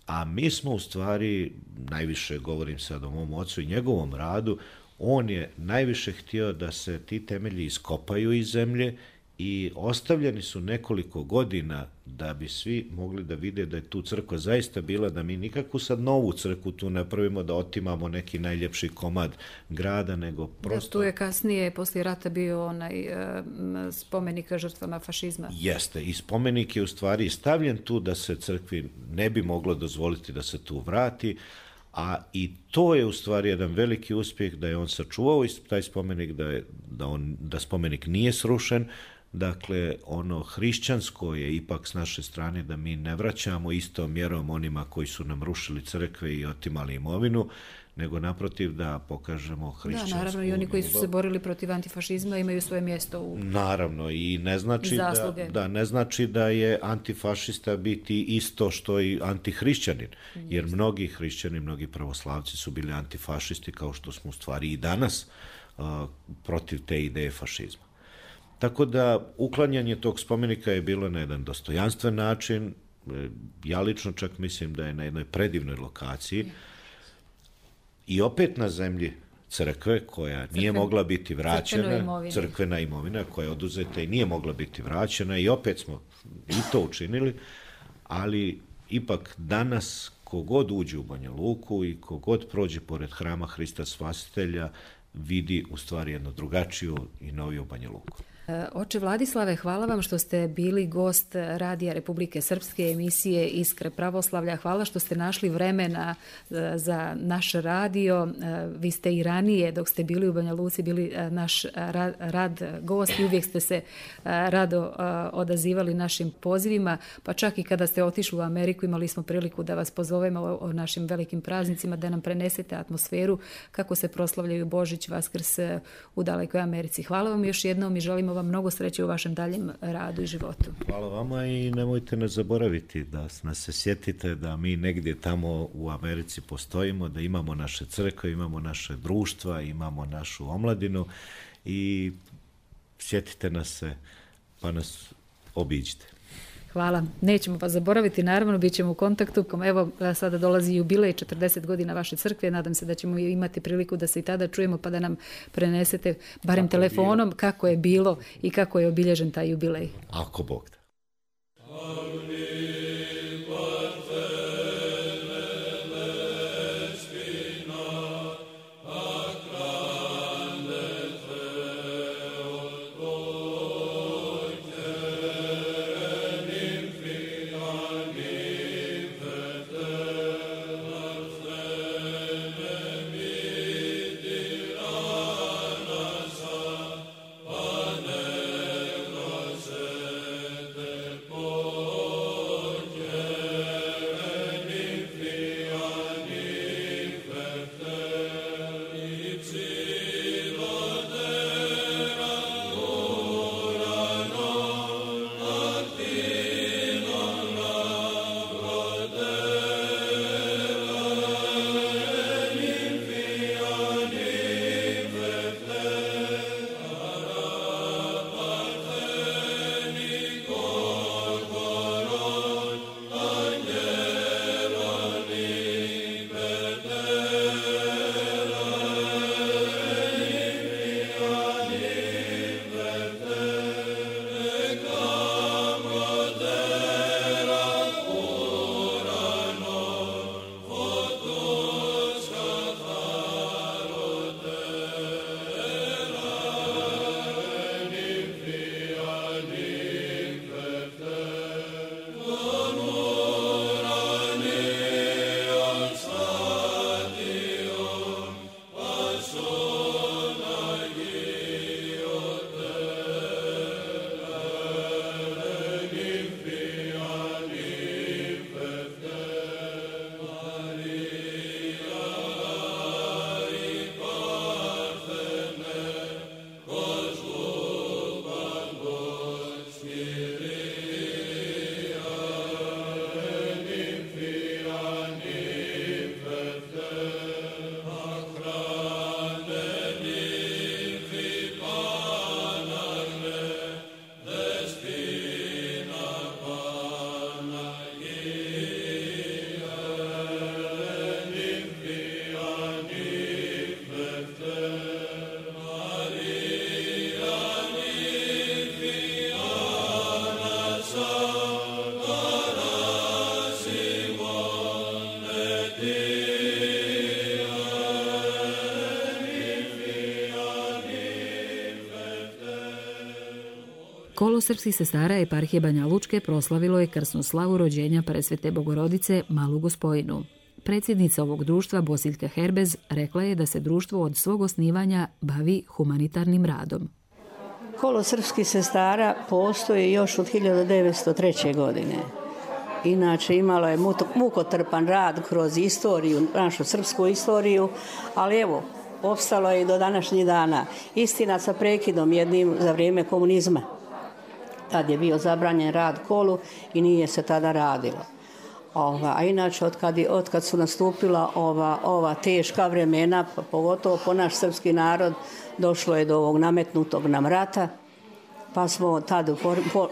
a mi smo u stvari, najviše govorim sad o mom ocu i njegovom radu, on je najviše htio da se ti temelji iskopaju iz zemlje i ostavljeni su nekoliko godina da bi svi mogli da vide da je tu crkva zaista bila, da mi nikakvu sad novu crkvu tu ne pravimo, da otimamo neki najljepši komad grada, nego prosto... Da, tu je kasnije, poslije rata, bio onaj uh, spomenik žrtvama fašizma. Jeste, i spomenik je u stvari stavljen tu da se crkvi ne bi moglo dozvoliti da se tu vrati, a i to je u stvari jedan veliki uspjeh da je on sačuvao taj spomenik, da, je, da, on, da spomenik nije srušen, Dakle, ono hrišćansko je ipak s naše strane da mi ne vraćamo istom mjerom onima koji su nam rušili crkve i otimali imovinu, nego naprotiv da pokažemo hrišćansku Da, naravno, i oni koji su se borili protiv antifašizma imaju svoje mjesto u Naravno, i ne znači da, da, ne znači da je antifašista biti isto što i antihrišćanin, jer mnogi hrišćani, mnogi pravoslavci su bili antifašisti, kao što smo u stvari i danas a, protiv te ideje fašizma. Tako da uklanjanje tog spomenika je bilo na jedan dostojanstven način. Ja lično čak mislim da je na jednoj predivnoj lokaciji i opet na zemlji crkve koja nije Crkven, mogla biti vraćena, imovina. crkvena imovina koja je oduzeta i nije mogla biti vraćena i opet smo i to učinili, ali ipak danas kogod uđe u Banja Luku i kogod prođe pored hrama Hrista Spasitelja vidi u stvari jednu drugačiju i noviju Banja Luku. Oče Vladislave, hvala vam što ste bili gost Radija Republike Srpske emisije Iskre pravoslavlja. Hvala što ste našli vremena za naš radio. Vi ste i ranije, dok ste bili u Banja Luci, bili naš rad, rad gost i uvijek ste se rado odazivali našim pozivima, pa čak i kada ste otišli u Ameriku imali smo priliku da vas pozovemo o našim velikim praznicima, da nam prenesete atmosferu kako se proslavljaju Božić, Vaskrs u dalekoj Americi. Hvala vam još jednom i želimo vam mnogo sreće u vašem daljem radu i životu. Hvala vama i nemojte nas zaboraviti da nas se sjetite da mi negdje tamo u Americi postojimo, da imamo naše crkve, imamo naše društva, imamo našu omladinu i sjetite nas se pa nas obiđite. Hvala. Nećemo vas zaboraviti, naravno, bit ćemo u kontaktu. Evo, sada dolazi jubilej četrdeset godina vaše crkve. Nadam se da ćemo imati priliku da se i tada čujemo pa da nam prenesete, barem kako telefonom, je kako je bilo i kako je obilježen taj jubilej. Ako Bog da. Kolo srpskih sestara eparhije Banja Lučke proslavilo je krsnu slavu rođenja Presvete Bogorodice Malu Gospojinu. Predsjednica ovog društva Bosiljka Herbez rekla je da se društvo od svog osnivanja bavi humanitarnim radom. Kolo srpskih sestara postoji još od hiljadu devetsto treće. godine. Inače, imalo je mukotrpan rad kroz istoriju, našu srpsku istoriju, ali evo, opstalo je i do današnjih dana. Istina sa prekidom jednim za vrijeme komunizma. Tad je bio zabranjen rad kolu i nije se tada radilo. Ova, a inače, otkad, otkad su nastupila ova, ova teška vremena, pogotovo po naš srpski narod, došlo je do ovog nametnutog nam rata, pa smo tad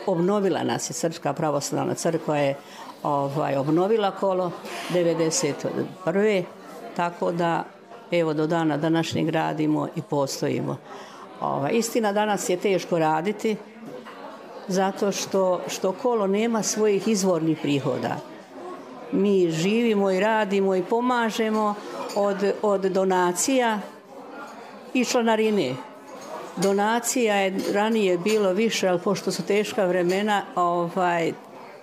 obnovila nas je Srpska pravoslavna crkva je ovaj, obnovila kolo devedeset prve. Tako da evo do dana današnjeg radimo i postojimo. Ovaj, istina, danas je teško raditi zato što, što kolo nema svojih izvornih prihoda. Mi živimo i radimo i pomažemo od, od donacija i članarine. Donacija je ranije bilo više, ali pošto su teška vremena, ovaj,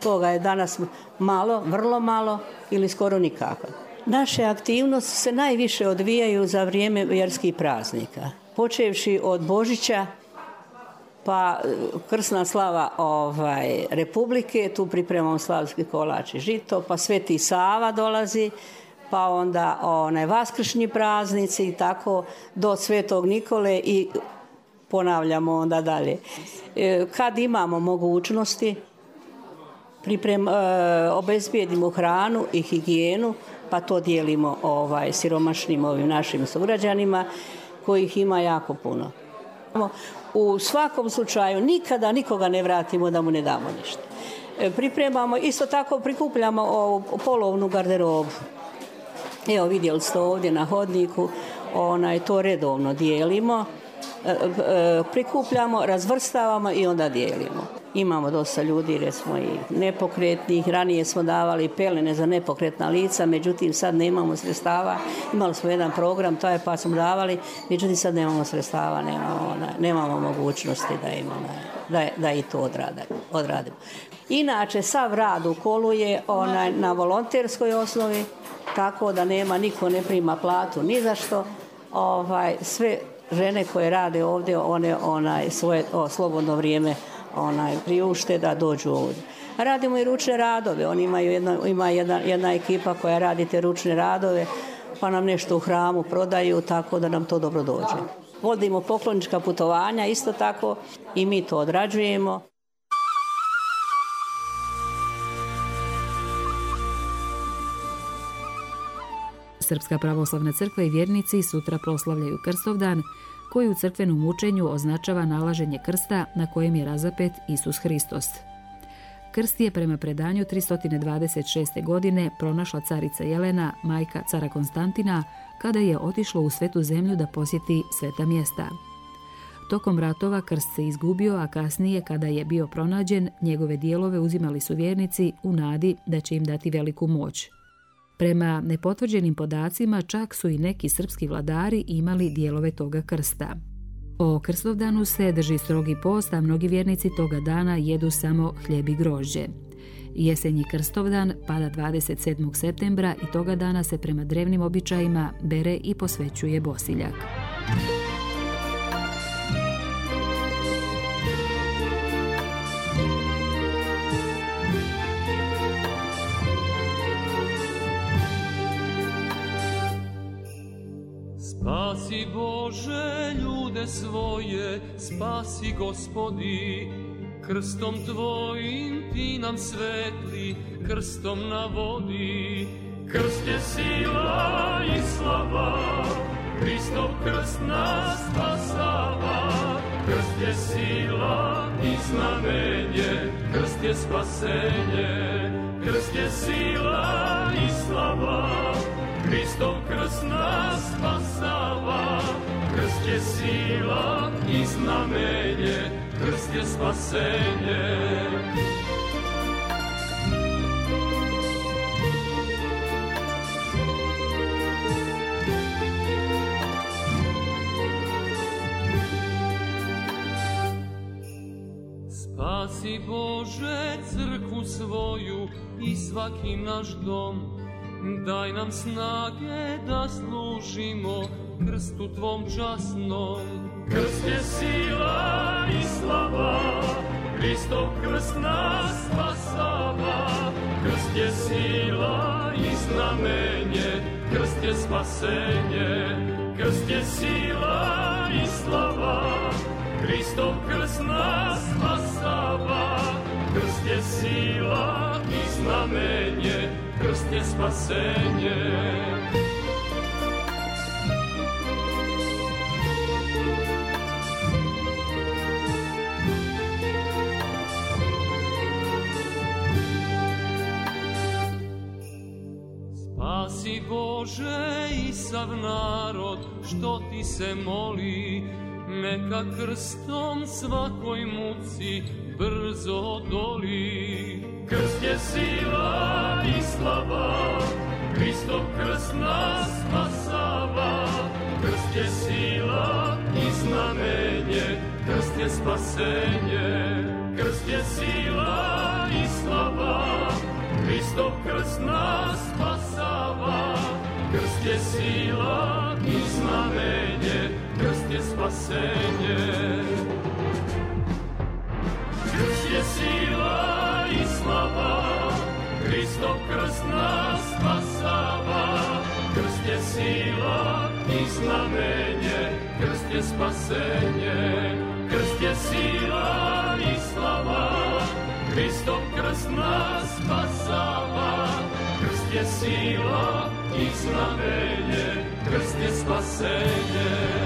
toga je danas malo, vrlo malo ili skoro nikako. Naše aktivnosti se najviše odvijaju za vrijeme vjerskih praznika. Počevši od Božića, pa krsna slava ovaj, Republike, tu pripremamo slavski kolač i žito, pa Sveti Sava dolazi, pa onda onaj vaskršnji praznici i tako do Svetog Nikole i ponavljamo onda dalje. Kad imamo mogućnosti, priprem, obezbijedimo hranu i higijenu, pa to dijelimo ovaj, siromašnim ovim našim sugrađanima, kojih ima jako puno. U svakom slučaju nikada nikoga ne vratimo da mu ne damo ništa. Pripremamo, isto tako prikupljamo ovu polovnu garderobu. Evo vidjeli ste ovdje na hodniku, onaj, to redovno dijelimo, prikupljamo, razvrstavamo i onda dijelimo. Imamo dosta ljudi, recimo i nepokretnih, ranije smo davali pelene za nepokretna lica, međutim sad nemamo sredstava, imali smo jedan program, to je pa smo davali, međutim sad nemamo sredstava, nemamo, nemamo mogućnosti da, imamo, da, da i to odradimo. Inače, sav rad u kolu je onaj, na volonterskoj osnovi, tako da nema, niko ne prima platu ni za što. Ovaj, sve žene koje rade ovdje, one onaj, svoje o, slobodno vrijeme onaj, priušte da dođu ovdje. Radimo i ručne radove, oni imaju jedna, ima jedna, jedna ekipa koja radi te ručne radove, pa nam nešto u hramu prodaju, tako da nam to dobro dođe. Vodimo poklonička putovanja, isto tako i mi to odrađujemo. Srpska pravoslavna crkva i vjernici sutra proslavljaju Krstovdan, koji u crkvenom učenju označava nalaženje krsta na kojem je razapet Isus Hristos. Krst je prema predanju tristo dvadeset šeste. godine pronašla carica Jelena, majka cara Konstantina, kada je otišla u Svetu zemlju da posjeti sveta mjesta. Tokom ratova krst se izgubio, a kasnije, kada je bio pronađen, njegove dijelove uzimali su vjernici u nadi da će im dati veliku moć. Prema nepotvrđenim podacima, čak su i neki srpski vladari imali dijelove toga krsta. O Krstovdanu se drži strogi post, a mnogi vjernici toga dana jedu samo hljeb i grožđe. Jesenji Krstovdan pada dvadeset sedmog septembra i toga dana se prema drevnim običajima bere i posvećuje Bosiljak. Spasi Bože ljude svoje, spasi Gospodi, krstom Tvojim Ti nam svetli, krstom na vodi. Krst je sila i slava, Hristov krst nas spasava. Krst je sila i znamenje, krst je spasenje. Krst je sila i slava, Hristov krst nas spasava. Krst je sila i znamenje, krst je spasenje. Spasi Bože crkvu svoju i svaki naš dom, daj nam snage da služimo krstu Tvom časnom. Krst je sila i slava, Hristov krst nas spasava. Krst je sila i znamenje, krst je spasenje. Krst je sila i slava, Hristov krst nas spasava. Krst je sila i znamenje, krst je spasenje. Spasi Bože i sav narod što ti se moli, neka krstom svakoj muci brzo odoli. Krst je sila i slava, Hristov krst nas spasava. Krst je sila i znamenje, krst je spasenje. Krst je sila i slava, Hristov krst nas spasava. Krst je sila i znamenje, krst je spasenje. Krst je sila i slava, Hristov krst nas spasava. Krst je sila i znamenje, krst je spasenje. Krst je sila i slava, Hristov krst nas spasava. Krst je sila i znamenje, krst je spasenje.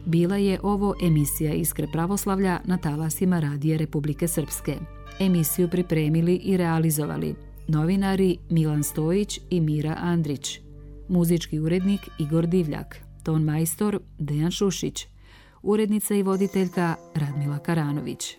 Bila je ovo emisija Iskre pravoslavlja na talasima Radija Republike Srpske. Emisiju pripremili i realizovali novinari Milan Stojić i Mira Andrić, muzički urednik Igor Divljak, ton majstor Dejan Šušić, urednica i voditeljka Radmila Karanović.